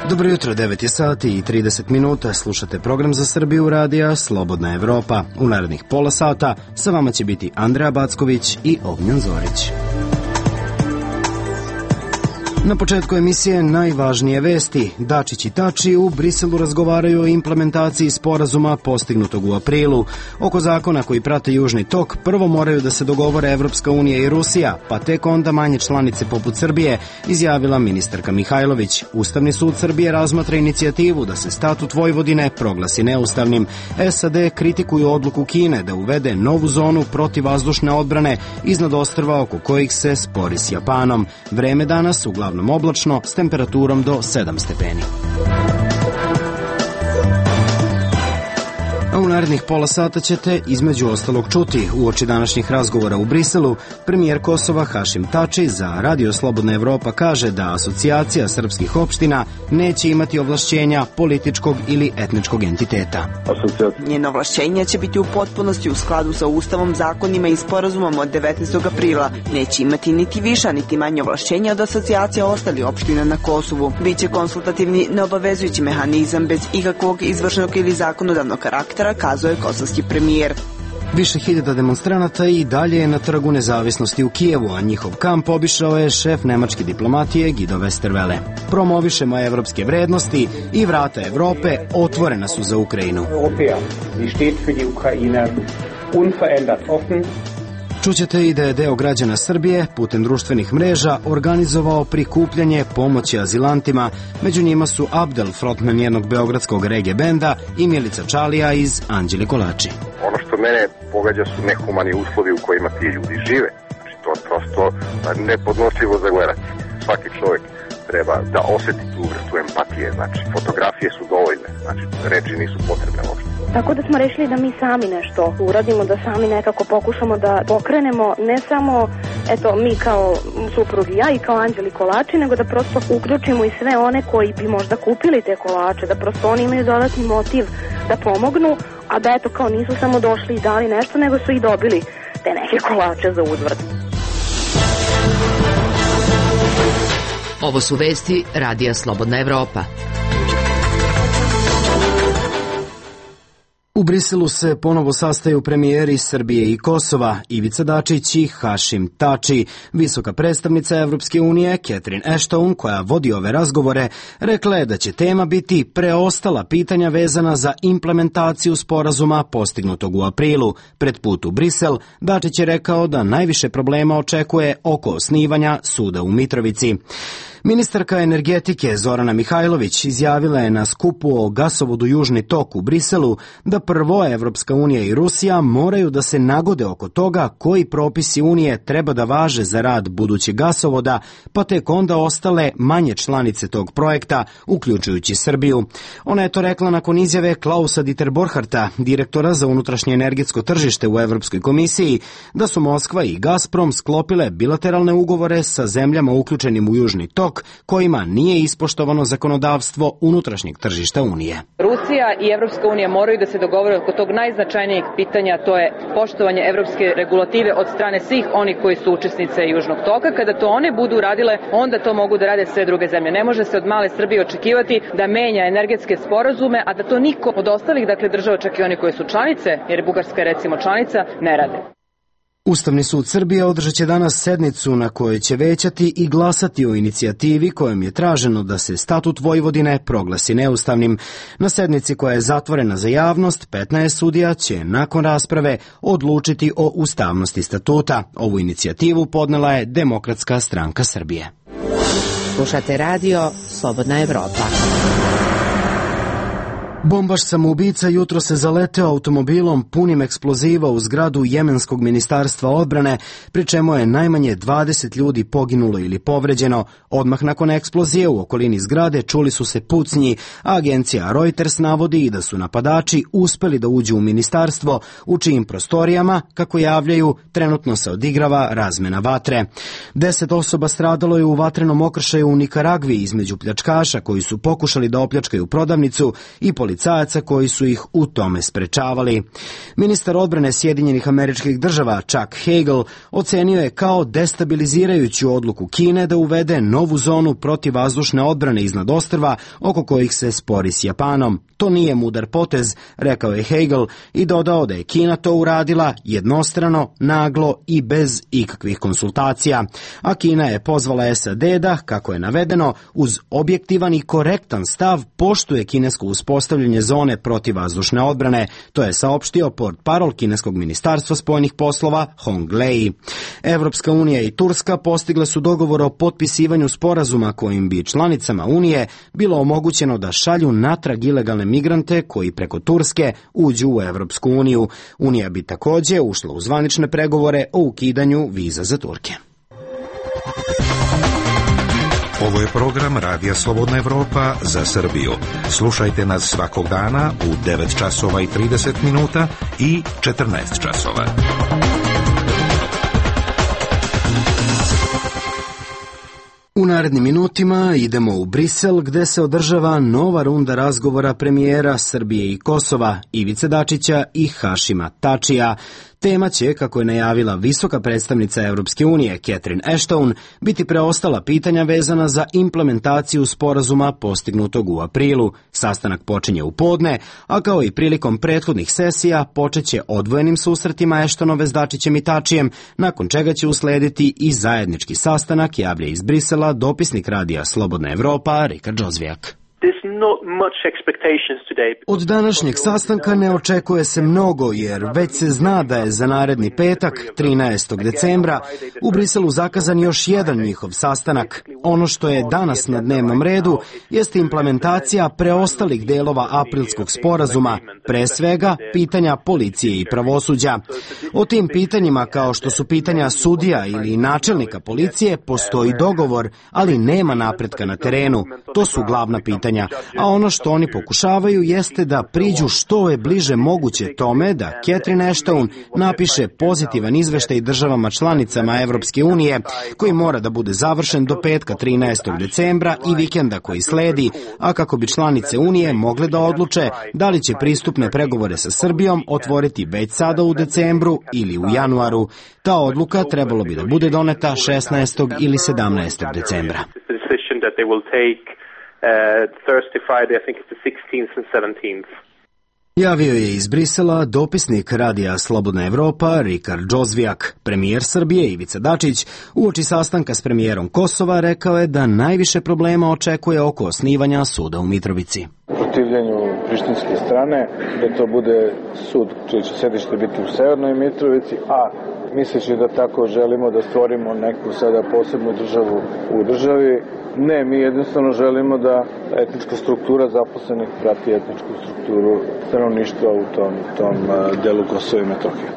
Dobro jutro, 9 je sati i 30 minuta. Slušate program za Srbiju radija Slobodna Evropa. U narednih pola sata sa vama će biti Andreja Backović i Ognjan Zorić. Na početku emisije najvažnije vesti. Dačić i Tači u Briselu razgovaraju o implementaciji sporazuma postignutog u aprilu. Oko zakona koji prate Južni tok prvo moraju da se dogovore Evropska unija i Rusija, pa tek onda manje članice poput Srbije, izjavila ministarka Mihajlović. Ustavni sud Srbije razmatra inicijativu da se statut Vojvodine proglasi neustavnim. SAD kritikuju odluku Kine da uvede novu zonu protivvazdušne odbrane iznad ostrva oko kojih se spori s Japanom. Vreme danas uglavnom oblačno s temperaturom do 7 stepeni. A u narednih pola sata ćete između ostalog čuti uoči današnjih razgovora u Briselu. Premijer Kosova Hašim Tači za Radio Slobodna Evropa kaže da Asocijacija srpskih opština neće imati ovlašćenja političkog ili etničkog entiteta. Njeno ovlašćenje će biti u potpunosti u skladu sa Ustavom, zakonima i sporazumom od 19. aprila. Neće imati niti viša niti manje ovlašćenja od asocijacija ostalih opština na Kosovu. Biće konsultativni neobavezujući mehanizam bez ikakvog izvršnog ili zakonodavnog karaktera, kazao je kosovski premijer. Više hiljada demonstranata i dalje je na Trgu nezavisnosti u Kijevu, a njihov kamp obišao je šef nemačke diplomatije Guido Westerwelle. Promovišemo evropske vrednosti i vrata Evrope otvorena su za Ukrajinu. Čućete i da je deo građana Srbije putem društvenih mreža organizovao prikupljanje pomoći azilantima. Među njima su Abdel, frontman jednog beogradskog reggae benda, i Milica Čalija iz Anđeli Kolači. Ono što mene pogađa su nehumani uslovi u kojima ti ljudi žive. Znači, to je prosto nepodnošljivo za gledati. Svaki čovjek treba da osjeti tu vrstu empatije. Znači, fotografije su dovoljne. Znači, reči nisu potrebne uopšte. Tako da smo rešili da mi sami nešto uradimo, da sami nekako pokušamo da pokrenemo ne samo mi kao suprug i ja i kao Anđeli Kolači, nego da prosto uključimo i sve one koji bi možda kupili te kolače, da prosto oni imaju dodatni motiv da pomognu, a da kao nisu samo došli i dali nešto, nego su i dobili te neke kolače za uzvrat. Ovo su vesti Radija Slobodna Evropa. U Briselu se ponovo sastaju premijeri Srbije i Kosova, Ivica Dačić i Hašim Tači. Visoka predstavnica Evropske unije, Catherine Ashton, koja vodi ove razgovore, rekla je da će tema biti preostala pitanja vezana za implementaciju sporazuma postignutog u aprilu. Pred put u Brisel, Dačić je rekao da najviše problema očekuje oko osnivanja suda u Mitrovici. Ministarka energetike Zorana Mihajlović izjavila je na skupu o gasovodu Južni tok u Briselu da prvo Evropska unija i Rusija moraju da se nagode oko toga koji propisi Unije treba da važe za rad budućeg gasovoda, pa tek onda ostale manje članice tog projekta, uključujući Srbiju. Ona je to rekla nakon izjave Klausa Dieter Borcharta, direktora za unutrašnje energetsko tržište u Evropskoj komisiji, da su Moskva i Gazprom sklopile bilateralne ugovore sa zemljama uključenim u Južni tok, kojima nije ispoštovano zakonodavstvo unutrašnjeg tržišta Unije. Rusija i Evropska unija moraju da se dogovore oko tog najznačajnijeg pitanja, to je poštovanje evropske regulative od strane svih onih koji su učesnice Južnog toka. Kada to one budu radile, onda to mogu da rade sve druge zemlje. Ne može se od male Srbije očekivati da menja energetske sporazume, a da to niko od ostalih država, čak i oni koji su članice, jer Bugarska je recimo članica, ne rade. Ustavni sud Srbije održat će danas sednicu na kojoj će većati i glasati o inicijativi kojom je traženo da se statut Vojvodine proglasi neustavnim. Na sednici koja je zatvorena za javnost, 15 sudija će nakon rasprave odlučiti o ustavnosti statuta. Ovu inicijativu podnela je Demokratska stranka Srbije. Slušate radio Slobodna Evropa. Bombaš samoubica jutro se zaleteo automobilom punim eksploziva u zgradu Jemenskog ministarstva odbrane, pri čemu je najmanje 20 ljudi poginulo ili povređeno. Odmah nakon eksplozije u okolini zgrade čuli su se pucnji, a agencija Reuters navodi i da su napadači uspeli da uđu u ministarstvo, u čijim prostorijama, kako javljaju, trenutno se odigrava razmena vatre. 10 osoba stradalo je u vatrenom okršaju u Nikaragvi između pljačkaša koji su pokušali da opljačkaju prodavnicu i policajaca policajaca koji su ih u tome sprečavali. Ministar odbrane Sjedinjenih Američkih Država Chuck Hagel ocenio je kao destabilizirajuću odluku Kine da uvede novu zonu protivvazdušne odbrane iznad ostrva oko kojih se spori s Japanom. To nije mudar potez, rekao je Hagel i dodao da je Kina to uradila jednostrano, naglo i bez ikakvih konsultacija. A Kina je pozvala SAD da, kako je navedeno, uz objektivan i korektan stav poštuje kinesko uspostavljanje zone protivvazdušne odbrane. To je saopštio portparol kineskog ministarstva spoljnih poslova Hong Lei. Evropska unija i Turska postigle su dogovor o potpisivanju sporazuma kojim bi članicama Unije bilo omogućeno da šalju natrag ilegalne migrante koji preko Turske uđu u Evropsku uniju. Unija bi također ušla u zvanične pregovore o ukidanju viza za Turke. Ovo je program Radija Slobodna Evropa za Srbiju. Slušajte nas svakog dana u 9 časova i 30 minuta i 14 časova. U narednim minutima idemo u Brisel gde se održava nova runda razgovora premijera Srbije i Kosova Ivice Dačića i Hašima Tačija. Tema će, kako je najavila visoka predstavnica Evropske unije Catherine Ashton, biti preostala pitanja vezana za implementaciju sporazuma postignutog u aprilu. Sastanak počinje u podne, a kao i prilikom prethodnih sesija počeće odvojenim susretima Ashtonove s Dačićem i Tačijem, nakon čega će uslediti i zajednički sastanak, javlja iz Brisela dopisnik Radija Slobodna Evropa Rikard Džozvijak. Od današnjeg sastanka ne očekuje se mnogo, jer već se zna da je za naredni petak, 13. decembra, u Briselu zakazan još jedan njihov sastanak. Ono što je danas na dnevnom redu jeste implementacija preostalih delova aprilskog sporazuma, pre svega pitanja policije i pravosuđa. O tim pitanjima, kao što su pitanja sudija ili načelnika policije, postoji dogovor, ali nema napretka na terenu. To su glavna pitanja. A ono što oni pokušavaju jeste da priđu što je bliže moguće tome da Catherine Ashton napiše pozitivan izveštaj državama članicama Evropske unije, koji mora da bude završen do petka 13. decembra i vikenda koji sledi, a kako bi članice Unije mogle da odluče da li će pristupne pregovore sa Srbijom otvoriti već sada u decembru ili u januaru. Ta odluka trebalo bi da bude doneta 16. ili 17. decembra. Thursday, Friday, I think it's the 16th and 17th. Javio je iz Brisela dopisnik Radija Slobodna Evropa Rikard Džozvijak. Premijer Srbije Ivica Dačić uoči sastanka s premijerom Kosova rekao je da najviše problema očekuje oko osnivanja suda u Mitrovici. Protivljenju prištinske strane da to bude sud čije će sedište biti u Severnoj Mitrovici, a misleći da tako želimo da stvorimo neku sada posebnu državu u državi. Ne, mi jednostavno želimo da etnička struktura zaposlenih prati etničku strukturu stanovništva u tom delu Kosova i Metohije.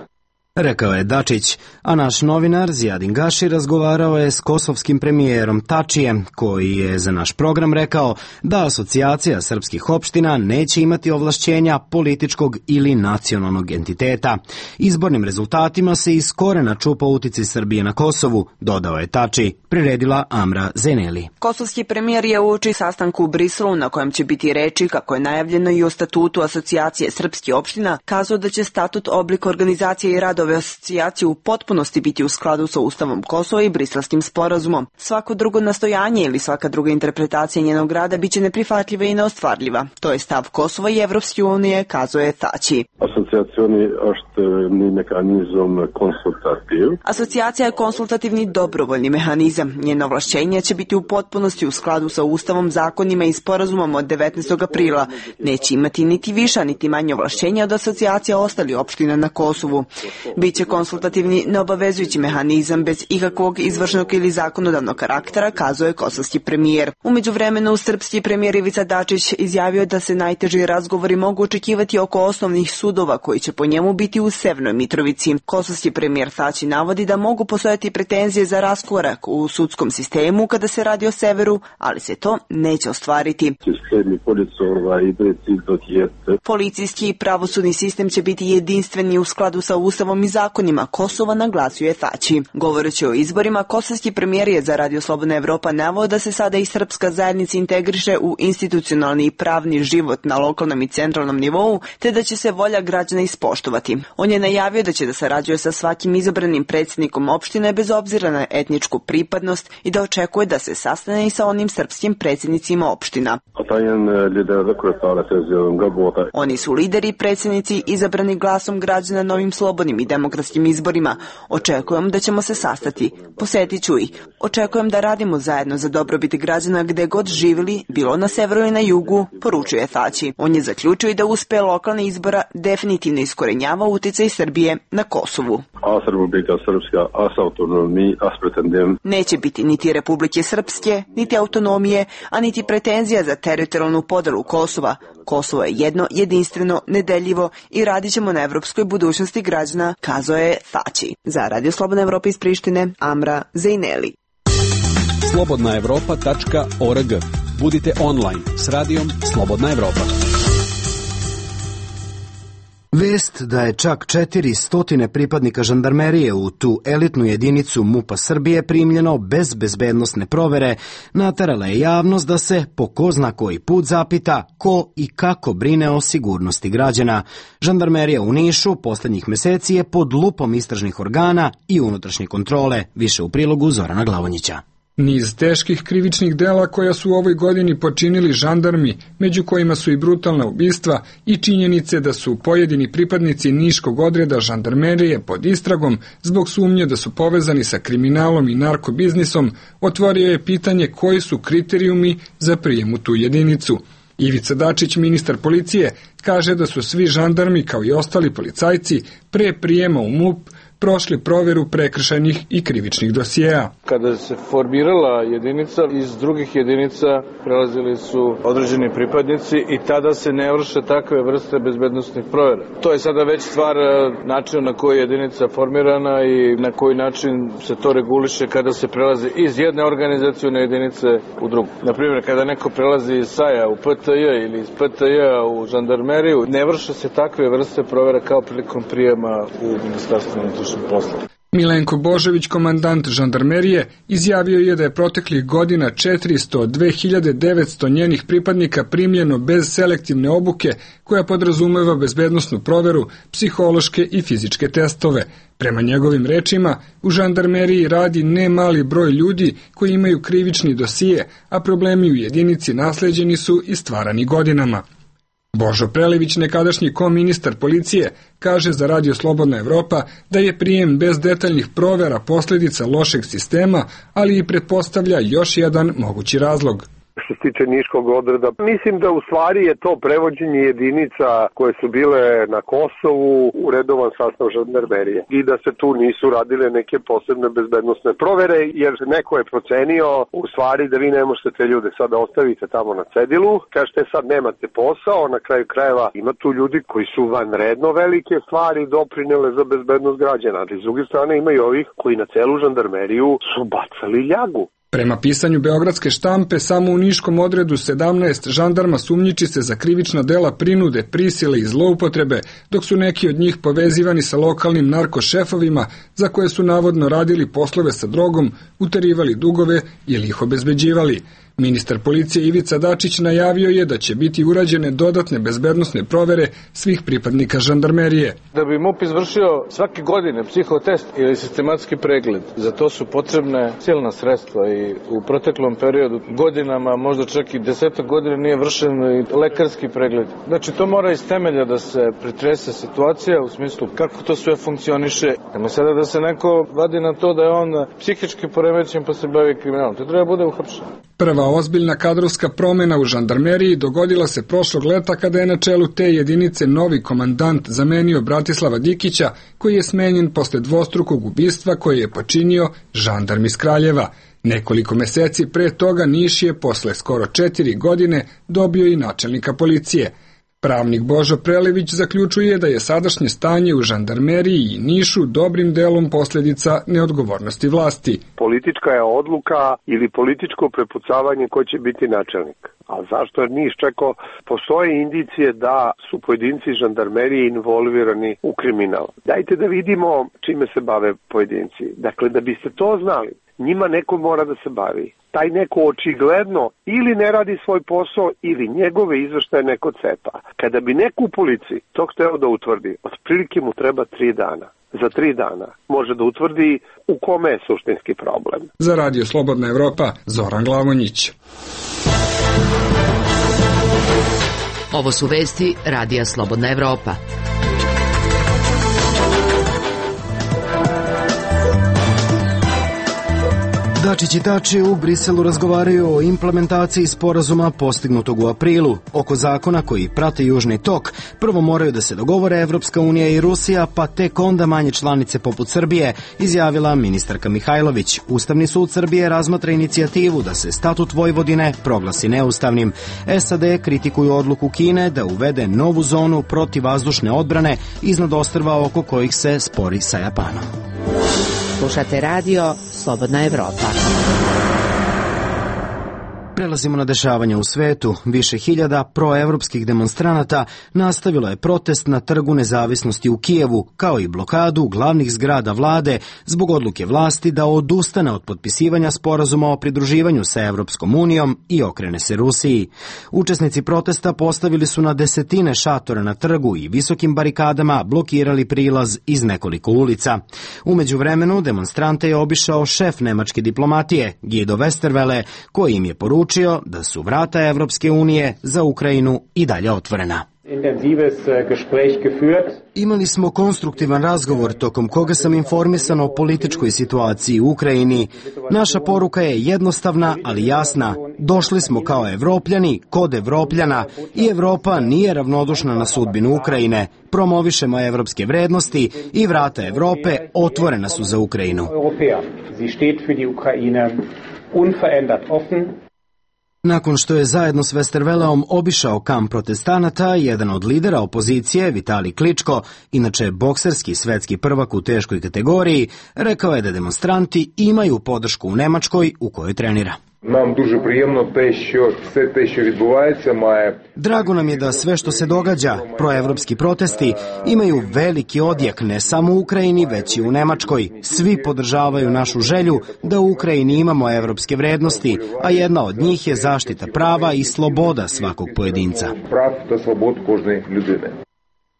Rekao je Dačić, a naš novinar Zijadin Gaši razgovarao je s kosovskim premijerom Tačijem, koji je za naš program rekao da asocijacija srpskih opština neće imati ovlašćenja političkog ili nacionalnog entiteta. Izbornim rezultatima se iz korena čupa uticaj Srbije na Kosovu, dodao je Tači, priredila Amra Zeneli. Kosovski premijer je uoči sastanku u Briselu, na kojem će biti reči, kako je najavljeno i o statutu asocijacije srpskih opština, kazao da će statut, oblik organizacije i rad ove asocijacije u potpunosti biti u skladu sa Ustavom Kosova i Briselskim sporazumom. Svako drugo nastojanje ili svaka druga interpretacija njenog rada biće neprihvatljiva i neostvarljiva. To je stav Kosova i Evropske unije, kazuje je Tači. Asocijacija je konsultativni dobrovoljni mehanizam. Njeno ovlašćenje će biti u potpunosti u skladu sa Ustavom, zakonima i sporazumom od 19. aprila. Neće imati niti viša niti manje ovlašćenja od asocijacija ostalih opština na Kosovu. Biće konsultativni neobavezujući mehanizam bez ikakvog izvršnog ili zakonodavnog karaktera, kazuje kosovski premijer. U međuvremenu srpski premijer Ivica Dačić izjavio da se najteži razgovori mogu očekivati oko osnovnih sudova koji će po njemu biti u Severnoj Mitrovici. Kosovski premijer Tači navodi da mogu postojati pretenzije za raskorak u sudskom sistemu kada se radi o severu, ali se to neće ostvariti. Policijski i pravosudni sistem će biti jedinstveni u skladu sa Ustavom Ustavom i zakonima Kosova, naglasio je Thaci. Govoreći o izborima, kosovski premijer je za Radio Slobodna Evropa naveo da se sada i srpska zajednica integriše u institucionalni i pravni život na lokalnom i centralnom nivou, te da će se volja građana ispoštovati. On je najavio da će da sarađuje sa svakim izabranim predsjednikom opštine bez obzira na etničku pripadnost i da očekuje da se sastane i sa onim srpskim predsjednicima opština. Oni su lideri i predsjednici izabrani glasom građana na ovim slobodnim i demokratskim izborima. Očekujem da ćemo se sastati. Posetit ću ih. Očekujem da radimo zajedno za dobrobit građana gde god živjeli, bilo na severu i na jugu, poručuje Thaci. On je zaključio i da uspe lokalne izbora definitivno iskorenjava uticaj Srbije na Kosovu. Neće biti niti Republike Srpske, niti autonomije, a niti pretenzija za teritorijalnu podelu Kosova. Kosovo je jedno, jedinstveno, nedeljivo i radit ćemo na evropskoj budućnosti građana, kazao je Thaci. Za Radio Slobodna Evropa iz Prištine, Amra Zejneli. slobodnaevropa.org. Budite online s radijom Slobodna Evropa. Vest da je čak 400 pripadnika žandarmerije u tu elitnu jedinicu MUP-a Srbije primljeno bez bezbednosne provere naterala je javnost da se po ko zna koji put zapita ko i kako brine o sigurnosti građana. Žandarmerija u Nišu poslednjih meseci je pod lupom istražnih organa i unutrašnje kontrole, više u prilogu Zorana Glavonjića. Niz teških krivičnih dela koja su u ovoj godini počinili žandarmi, među kojima su i brutalna ubistva i činjenice da su pojedini pripadnici niškog odreda žandarmerije pod istragom zbog sumnje da su povezani sa kriminalom i narkobiznisom, otvorio je pitanje koji su kriterijumi za prijem u tu jedinicu. Ivica Dačić, ministar policije, kaže da su svi žandarmi kao i ostali policajci pre prijema u MUP prošli proveru prekršajnih i krivičnih dosijeja. Kada se formirala jedinica, iz drugih jedinica prelazili su određeni pripadnici i tada se ne vrše takve vrste bezbednosnih provera. To je sada već stvar načina na koji je jedinica formirana i na koji način se to reguliše kada se prelazi iz jedne organizacije na jedinice u drugu. Naprimjer, kada neko prelazi iz SAJ-a u PTJ ili iz PTJ-a u žandarmeriju, ne vrše se takve vrste provera kao prilikom prijema u Ministarstvo unutrašnjih poslova. Milenko Božović, komandant žandarmerije, izjavio je da je proteklih godina 402.900 njenih pripadnika primljeno bez selektivne obuke koja podrazumeva bezbednosnu proveru, psihološke i fizičke testove. Prema njegovim rečima, u žandarmeriji radi ne mali broj ljudi koji imaju krivični dosije, a problemi u jedinici nasleđeni su i stvarani godinama. Božo Prelević, nekadašnji koministar policije, kaže za Radio Slobodna Evropa da je prijem bez detaljnih provera posljedica lošeg sistema, ali i pretpostavlja još jedan mogući razlog. Što se tiče niškog odreda, mislim da u stvari je to prevođenje jedinica koje su bile na Kosovu u redovan sastav žandarmerije i da se tu nisu radile neke posebne bezbednosne provere, jer neko je procenio u stvari da vi ne možete te ljude sada ostavite tamo na cedilu, kažete sad nemate posao, na kraju krajeva ima tu ljudi koji su vanredno velike stvari doprinele za bezbednost građana, ali s druge strane ima i ovih koji na celu žandarmeriju su bacali ljagu. Prema pisanju beogradske štampe, samo u niškom odredu 17 žandarma sumnjiči se za krivična dela prinude, prisile i zloupotrebe, dok su neki od njih povezivani sa lokalnim narkošefovima za koje su navodno radili poslove sa drogom, uterivali dugove ili ih obezbeđivali. Ministar policije Ivica Dačić najavio je da će biti urađene dodatne bezbednosne provere svih pripadnika žandarmerije. Da bi MUP izvršio svake godine psihotest ili sistematski pregled, za to su potrebne silna sredstva i u proteklom periodu godinama, možda čak i 10 godina nije vršen i lekarski pregled. Znači to mora iz temelja da se pretrese situacija u smislu kako to sve funkcioniše. Nema sada da se neko vadi na to da je on psihički poremećen pa se bavi kriminalom. To treba bude uhapšen. Prva ozbiljna kadrovska promjena u žandarmeriji dogodila se prošlog leta kada je na čelu te jedinice novi komandant zamenio Bratislava Dikića, koji je smenjen posle dvostrukog ubistva koje je počinio žandarm iz Kraljeva. Nekoliko meseci pre toga Niš je posle skoro 4 godine dobio i načelnika policije. Pravnik Božo Prelević zaključuje da je sadašnje stanje u žandarmeriji i Nišu dobrim delom posljedica neodgovornosti vlasti. Politička je odluka ili političko prepucavanje ko će biti načelnik. A zašto je Niš čekao? Postoje indicije da su pojedinci žandarmerije involvirani u kriminal. Dajte da vidimo čime se bave pojedinci. Dakle, da biste to znali, njima neko mora da se bavi. Taj neko očigledno ili ne radi svoj posao ili njegove izveštaje neko cepa. Kada bi neko u policiji to hteo da utvrdi, otprilike mu treba 3 dana. Za 3 dana može da utvrdi u kome je suštinski problem. Za Radio Slobodna Evropa, Zoran Glavonjić. Ovo su vesti Radija Slobodna Evropa. Dačić i Tači u Briselu razgovaraju o implementaciji sporazuma postignutog u aprilu. Oko zakona koji prate Južni tok, prvo moraju da se dogovore Evropska unija i Rusija, pa tek onda manje članice poput Srbije, izjavila ministarka Mihajlović. Ustavni sud Srbije razmatra inicijativu da se statut Vojvodine proglasi neustavnim. SAD kritikuju odluku Kine da uvede novu zonu protivvazdušne odbrane iznad ostrva oko kojih se spori sa Japanom. Slušate radio Slobodna Evropa. Prelazimo na dešavanja u svetu. Više hiljada proevropskih demonstranata nastavilo je protest na Trgu nezavisnosti u Kijevu, kao i blokadu glavnih zgrada vlade zbog odluke vlasti da odustane od potpisivanja sporazuma o pridruživanju sa Evropskom unijom i okrene se Rusiji. Učesnici protesta postavili su na desetine šatora na trgu i visokim barikadama blokirali prilaz iz nekoliko ulica. U međuvremenu demonstrante je obišao šef nemačke diplomatije, Guido Westerwelle, koji im je poručio da su vrata Evropske unije za Ukrajinu i dalje otvorena. Imali smo konstruktivan razgovor tokom koga sam informisan o političkoj situaciji u Ukrajini. Naša poruka je jednostavna, ali jasna. Došli smo kao Evropljani, kod Evropljana i Evropa nije ravnodušna na sudbinu Ukrajine. Promovišemo evropske vrednosti i vrata Evrope otvorena su za Ukrajinu. Nakon što je zajedno s Westerwelleom obišao kamp protestanata, jedan od lidera opozicije, Vitali Kličko, inače bokserski svetski prvak u teškoj kategoriji, rekao je da demonstranti imaju podršku u Nemačkoj u kojoj trenira. Drago nam je da sve što se događa, proevropski protesti, imaju veliki odjek ne samo u Ukrajini, već i u Nemačkoj. Svi podržavaju našu želju da u Ukrajini imamo evropske vrednosti, a jedna od njih je zaštita prava i sloboda svakog pojedinca.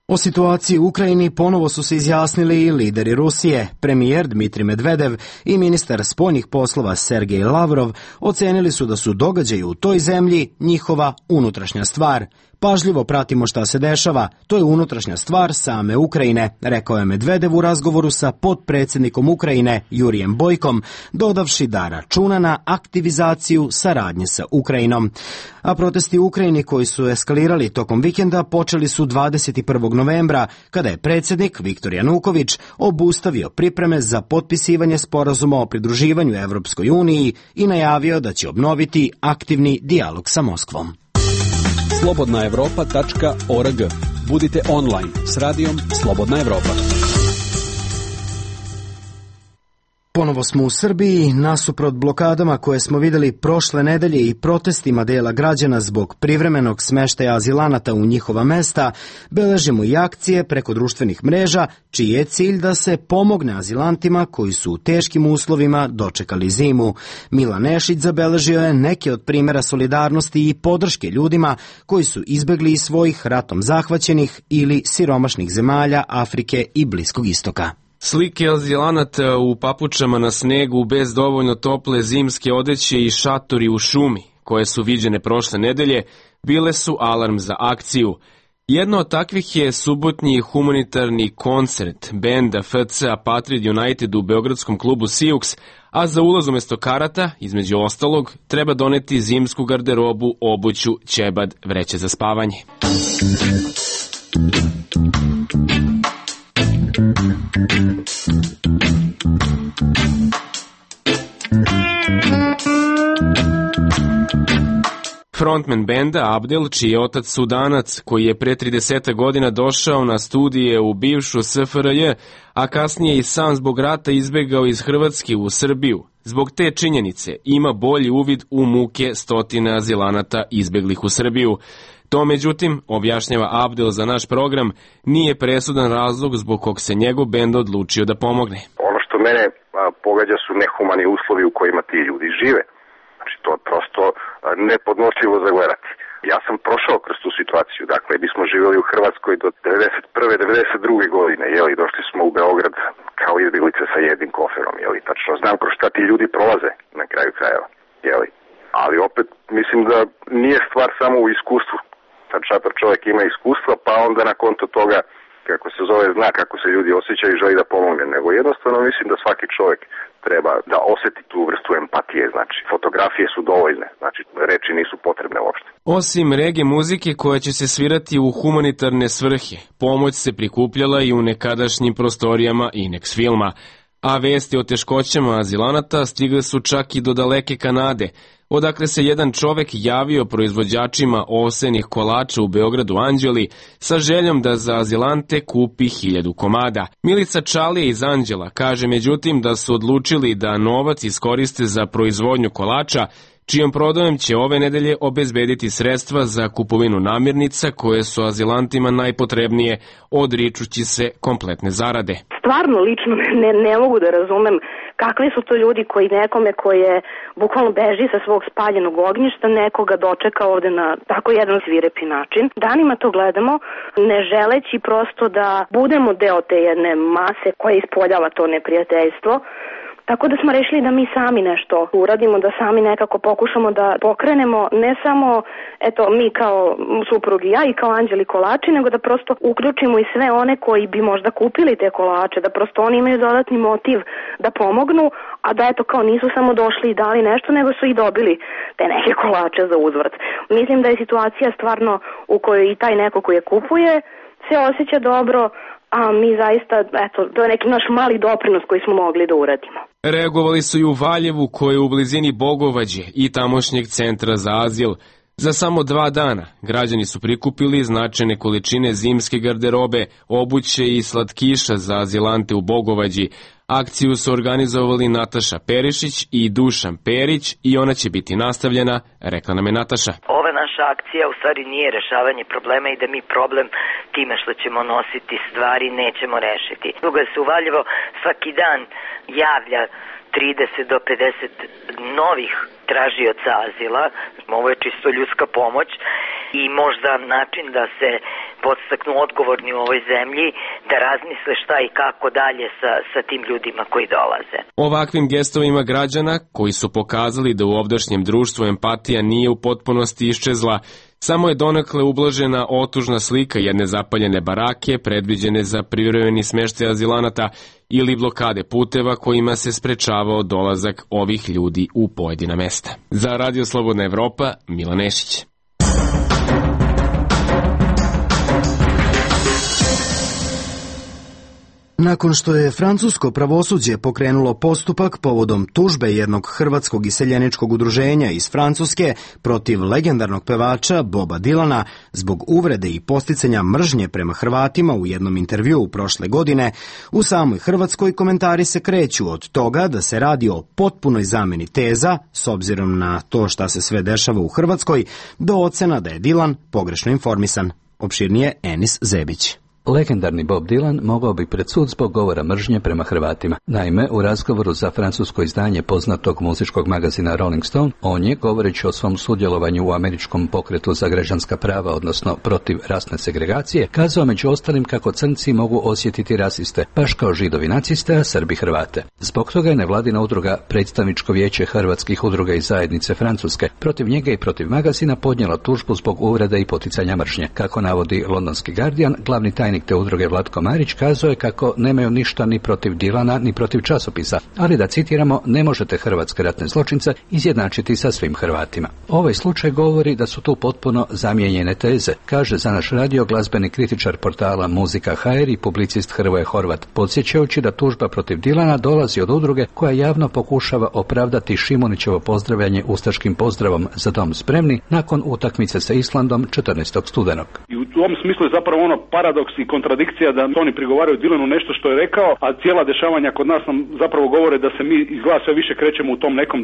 O situaciji u Ukrajini ponovo su se izjasnili i lideri Rusije. Premijer Dmitrij Medvedev i ministar spoljnih poslova Sergej Lavrov ocenili su da su događaji u toj zemlji njihova unutrašnja stvar. Pažljivo pratimo šta se dešava, to je unutrašnja stvar same Ukrajine, rekao je Medvedev u razgovoru sa potpredsjednikom Ukrajine Jurijem Bojkom, dodavši da računa na aktivizaciju saradnje sa Ukrajinom. A protesti u Ukrajini koji su eskalirali tokom vikenda počeli su 21. novembra, kada je predsjednik Viktor Januković obustavio pripreme za potpisivanje sporazuma o pridruživanju Evropskoj uniji i najavio da će obnoviti aktivni dijalog sa Moskvom. slobodnaevropa.org. Budite online s radijom Slobodna Evropa. Ponovo smo u Srbiji, nasuprot blokadama koje smo vidjeli prošle nedelje i protestima dela građana zbog privremenog smeštaja azilanata u njihova mesta, beležimo i akcije preko društvenih mreža, čiji je cilj da se pomogne azilantima koji su u teškim uslovima dočekali zimu. Milan Nešić zabeležio je neke od primjera solidarnosti i podrške ljudima koji su izbegli iz svojih ratom zahvaćenih ili siromašnih zemalja Afrike i Bliskog istoka. Slike azilanata u papučama na snegu bez dovoljno tople zimske odeće i šatori u šumi, koje su viđene prošle nedelje, bile su alarm za akciju. Jedno od takvih je subotnji humanitarni koncert benda FC Patriot United u beogradskom klubu Siux, a za ulaz umjesto karata, između ostalog, treba doneti zimsku garderobu, obuću, ćebad, vreće za spavanje. Frontman benda Abdel, čiji je otac Sudanac, koji je pre 30 godina došao na studije u bivšu SFRJ, a kasnije i sam zbog rata izbegao iz Hrvatske u Srbiju. Zbog te činjenice ima bolji uvid u muke stotine azilanata izbeglih u Srbiju. To, međutim, objašnjava Abdel za naš program, nije presudan razlog zbog kog se njegov bend odlučio da pomogne. Ono što mene pogađa su nehumani uslovi u kojima ti ljudi žive. Znači, to je prosto nepodnošljivo za gledati. Ja sam prošao kroz tu situaciju, dakle, mi smo živjeli u Hrvatskoj do 91. 92. godine, došli smo u Beograd kao izbjeglice sa jednim koferom, tačno znam kroz šta ti ljudi prolaze na kraju krajeva, ali opet mislim da nije stvar samo u iskustvu. Sad šator čovjek ima iskustva, pa onda na konto toga, kako se zove, zna kako se ljudi osjećaju i želi da pomogne, nego jednostavno mislim da svaki čovjek treba da osjeti tu vrstu empatije, znači fotografije su dovoljne, znači reči nisu potrebne uopšte. Osim reggae muzike koja će se svirati u humanitarne svrhe, pomoć se prikupljala i u nekadašnjim prostorijama Inex filma, a vesti o teškoćama azilanata stigle su čak i do daleke Kanade, odakle se jedan čovek javio proizvođačima ovsenih kolača u Beogradu Anđeli sa željom da za azilante kupi 1000 komada. Milica Čalija iz Anđela kaže međutim da su odlučili da novac iskoriste za proizvodnju kolača, čijom prodajom će ove nedelje obezbediti sredstva za kupovinu namirnica koje su azilantima najpotrebnije, odričući se kompletne zarade. Stvarno, lično ne mogu da razumem kakvi su to ljudi koji nekome koji je bukvalno beži sa svog spaljenog ognjišta, nekoga dočeka ovde na tako jedan svirepi način. Danima to gledamo, ne želeći prosto da budemo deo te jedne mase koja ispoljava to neprijateljstvo. Tako da smo rešili da mi sami nešto uradimo, da sami nekako pokušamo da pokrenemo ne samo mi kao suprug i ja i kao anđeli kolači, nego da prosto uključimo i sve one koji bi možda kupili te kolače, da prosto oni imaju dodatni motiv da pomognu, a da kao nisu samo došli i dali nešto, nego su i dobili te neke kolače za uzvrat. Mislim da je situacija stvarno u kojoj i taj neko koji je kupuje se osjeća dobro, a mi zaista, to je neki naš mali doprinos koji smo mogli da uradimo. Reagovali su i u Valjevu, koje je u blizini Bogovađe i tamošnjeg centra za azil. Za samo 2 dana građani su prikupili značajne količine zimske garderobe, obuće i slatkiša za azilante u Bogovađi. Akciju su organizovali Nataša Perišić i Dušan Perić i ona će biti nastavljena, rekla nam je Nataša. Ova naša akcija u stvari nije rešavanje problema i da mi problem time što ćemo nositi stvari nećemo rešiti. Drugo je se u Valjevo svaki dan javlja 30 do 50 novih tražioca azila. Ovo je čisto ljudska pomoć i možda način da se podstaknu odgovorni u ovoj zemlji, da razmisle šta i kako dalje sa tim ljudima koji dolaze. Ovakvim gestovima građana, koji su pokazali da u ovdašnjem društvu empatija nije u potpunosti iščezla, samo je donekle ublažena otužna slika jedne zapaljene barake predviđene za privremeni smeštaj azilanata ili blokade puteva kojima se sprečavao dolazak ovih ljudi u pojedina mesta. Za Radio Slobodna Evropa, Milan Nešić. Nakon što je francusko pravosuđe pokrenulo postupak povodom tužbe jednog hrvatskog iseljeničkog udruženja iz Francuske protiv legendarnog pevača Boba Dilana zbog uvrede i posticanja mržnje prema Hrvatima u jednom intervjuu prošle godine, u samoj Hrvatskoj komentari se kreću od toga da se radi o potpunoj zameni teza, s obzirom na to šta se sve dešava u Hrvatskoj, do ocena da je Dilan pogrešno informisan. Opširnije Enis Zebić. Legendarni Bob Dylan mogao bi pred sud zbog govora mržnje prema Hrvatima. Naime, u razgovoru za francusko izdanje poznatog muzičkog magazina Rolling Stone, on je, govoreći o svom sudjelovanju u američkom pokretu za građanska prava, odnosno protiv rasne segregacije, kazao među ostalim kako crnci mogu osjetiti rasiste, baš kao Židovi naciste, a Srbi Hrvate. Zbog toga je nevladina udruga Predstavničko vijeće hrvatskih udruga iz zajednice Francuske protiv njega i protiv magazina podnijela tužbu zbog uvrede i poticanja mržnje. Kako navodi londonski Guardian, glavni tajnik tajnik te udruge Vlatko Marić kazao je kako nemaju ništa ni protiv Dilana ni protiv časopisa, ali da citiramo, ne možete hrvatske ratne zločince izjednačiti sa svim Hrvatima. Ovaj slučaj govori da su tu potpuno zamijenjene teze, kaže za naš radio glazbeni kritičar portala Muzika HR i publicist Hrvoje Horvat, podsjećajući da tužba protiv Dilana dolazi od udruge koja javno pokušava opravdati Šimunićevo pozdravljanje ustaškim pozdravom Za dom spremni nakon utakmice sa Islandom 14. studenog. I u tom smislu je zapravo ono paradoks i kontradikcija da oni prigovaraju Dilanu nešto što je rekao, a cijela dešavanja kod nas nam zapravo govore da se mi izgleda sve više krećemo u tom nekom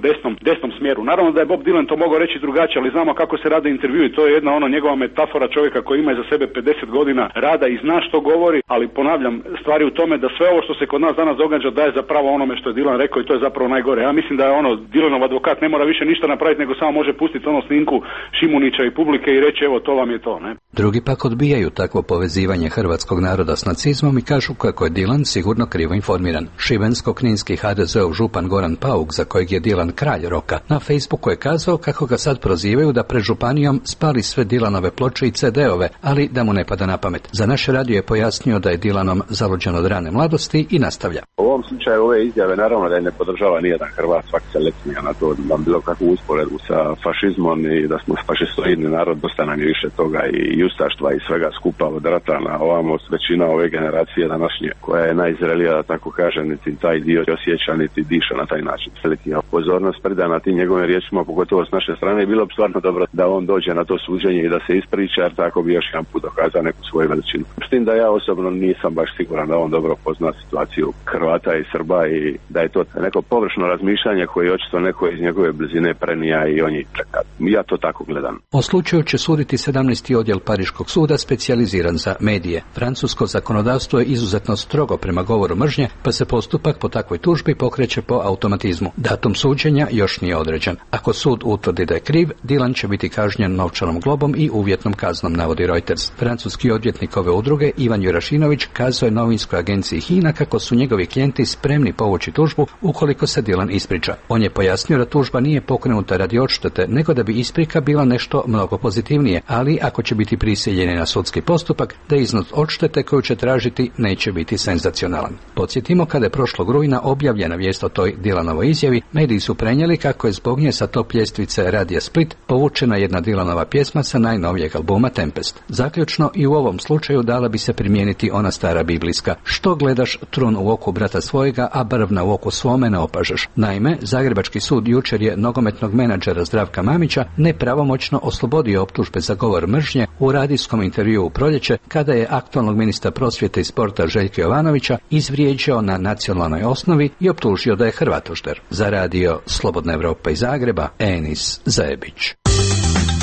desnom smjeru. Naravno da je Bob Dylan to mogao reći drugačije, ali znamo kako se rade intervjui. To je jedna njegova metafora čovjeka koji ima iza sebe 50 godina rada i zna što govori, ali ponavljam, stvari u tome da sve ovo što se kod nas danas događa daje zapravo onome što je Dylan rekao i to je zapravo najgore. Ja mislim da je Dylanov advokat ne mora više ništa napraviti, nego samo može pustiti snimku Šimunića i publike i reći evo to vam je to, ne? Drugi pak odbijaju takvo povezivanje hrvatskog naroda s nacizmom i kažu kako je Dylan sigurno krivo informiran. Šibensko-kninski HDZ-ov župan Goran Pauk, za kojeg je Dylan kralj roka, na Facebooku je kazao kako ga sad prozivaju da pred županijom spali sve Dylanove ploče i CD-ove, ali da mu ne pada na pamet. Za naš radio je pojasnio da je Dylanom zaluđen od rane mladosti i nastavlja. U ovom slučaju ove izjave naravno da je ne podržava nijedan Hrvat, svaki se lecnija na to da bilo kakvu usporedbu sa fašizmom i da smo fašistoidni narod, dosta nam je više toga i ustaštva i svega skupa od rata na ovamo. Većina ove generacije današnje koja je najzrelija, da tako kaže, niti taj dio osjeća niti diša na taj način. Selektiva pozornost predana tim njegovim riječima, pogotovo s naše strane, bilo bi stvarno dobro da on dođe na to suđenje i da se ispriča, jer tako bi još jedan put dokazao neku svoju veličinu. S tim da ja osobno nisam baš siguran da on dobro pozna situaciju Hrvata i Srba i da je to neko površno razmišljanje koje očito neko iz njegove blizine prenija i on je čeka. Ja to tako gledam. O slučaju će suditi 17. odjel Pariškog suda specijaliziran za medije. Francusko zakonodavstvo je izuzetno strogo prema govoru mržnje, pa se postupak po takvoj tužbi pokreće po automatizmu. Datum suđenja još nije određen. Ako sud utvrdi da je kriv, Dylan će biti kažnjen novčanom globom i uvjetnom kaznom, navodi Reuters. Francuski odvjetnik ove udruge Ivan Jurašinović kazao je novinskoj agenciji HINA kako su njegovi klijenti spremni povući tužbu ukoliko se Dylan ispriča. On je pojasnio da tužba nije pokrenuta radi odštete, nego da bi isprika bila nešto mnogo pozitivnije, ali ako će biti prisiljeni na sudski postupak, da iznos odštete koju će tražiti neće biti senzacionalan. Podsjetimo, kada je prošlog rujna objavljena vijest o toj Dylanovoj izjavi, mediji su prenijeli kako je zbog nje sa top ljestvice Radija Split povučena jedna Dylanova pjesma sa najnovijeg albuma Tempest. Zaključno, i u ovom slučaju dala bi se primijeniti ona stara biblijska: što gledaš trun u oku brata svojega, a brvna u oku svome ne opažaš. Naime, Zagrebački sud jučer je nogometnog menadžera Zdravka Mamića nepravomoćno oslobodio optužbe za govor mržnje u radijskom intervjuu u proljeće, kada je aktualnog ministra prosvjete i sporta Željka Jovanovića izvrijeđao na nacionalnoj osnovi i optužio da je Hrvatožder. Za radio Slobodna Evropa iz Zagreba, Enis Zajebić.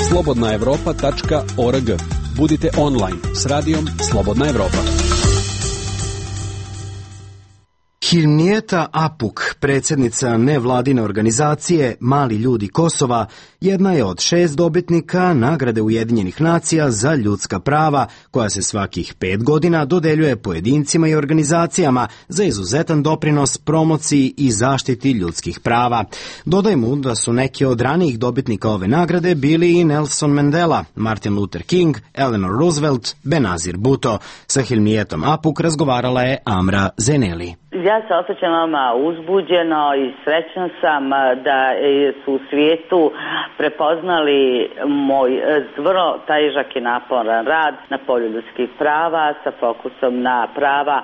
slobodnaevropa.org. Budite online s radijom Slobodna Evropa. Hilmijeta Apuk, predsjednica nevladine organizacije Mali ljudi Kosova, jedna je od 6 dobitnika nagrade Ujedinjenih nacija za ljudska prava, koja se svakih 5 godina dodeljuje pojedincima i organizacijama za izuzetan doprinos promociji i zaštiti ljudskih prava. Dodajmo da su neki od ranijih dobitnika ove nagrade bili i Nelson Mandela, Martin Luther King, Eleanor Roosevelt, Benazir Bhutto. Sa Hilmijetom Apuk razgovarala je Amra Zeneli. Ja se osjećam vama uzbuđeno i srećna sam da su u svijetu prepoznali moj vrlo težak i naporan rad na polju ljudskih prava sa fokusom na prava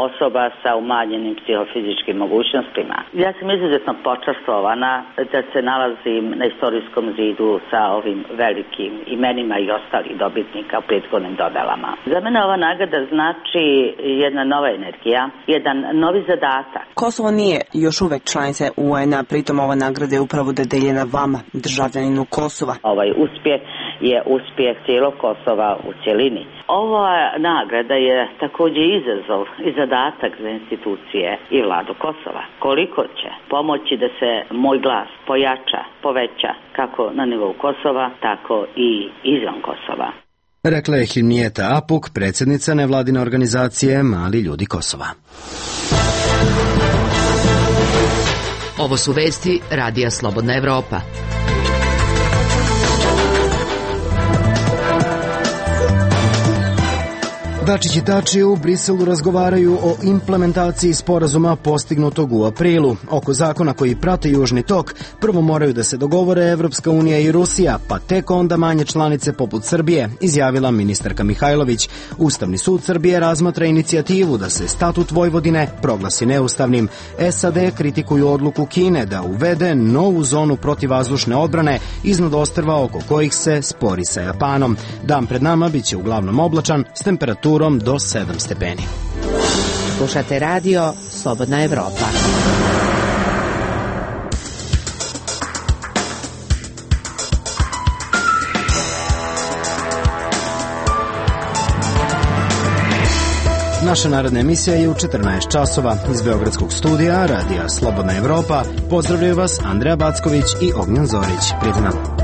osoba sa umanjenim psihofizičkim mogućnostima. Ja sam izuzetno počastvovana da se nalazim na istorijskom zidu sa ovim velikim imenima i ostalih dobitnika u prethodnim dodalama. Za mene ova nagrada znači jedna nova energija, jedan novi zadatak. Kosovo nije još uvek članica UN-a, pritom ova nagrada je upravo dodeljena vama, državljaninu Kosova. Ovaj uspjeh je uspjeh cijelog Kosova u cjelini. Ova nagrada je također izazov i zadatak za institucije i vladu Kosova. Koliko će pomoći da se moj glas pojača, poveća kako na nivou Kosova, tako i izvan Kosova. Rekla je Hilmijeta Apuk, predsjednica nevladine organizacije Mali ljudi Kosova. Ovo su vesti Radija Slobodna Evropa. Dačić i Tači u Briselu razgovaraju o implementaciji sporazuma postignutog u aprilu. Oko zakona koji prate Južni tok, prvo moraju da se dogovore Evropska unija i Rusija, pa tek onda manje članice poput Srbije, izjavila ministarka Mihajlović. Ustavni sud Srbije razmatra inicijativu da se statut Vojvodine proglasi neustavnim. SAD kritikuju odluku Kine da uvede novu zonu protivvazdušne odbrane iznad ostrva oko kojih se spori sa Japanom. Dan pred nama biće uglavnom oblačan s temperaturom do 7 stepeni. Slušate radio Slobodna Evropa. Naša narodna emisija je u 14 časova. Iz Beogradskog studija Radija Slobodna Evropa pozdravljaju vas Andreja Backović i Ognjan Zorić. Prijatno.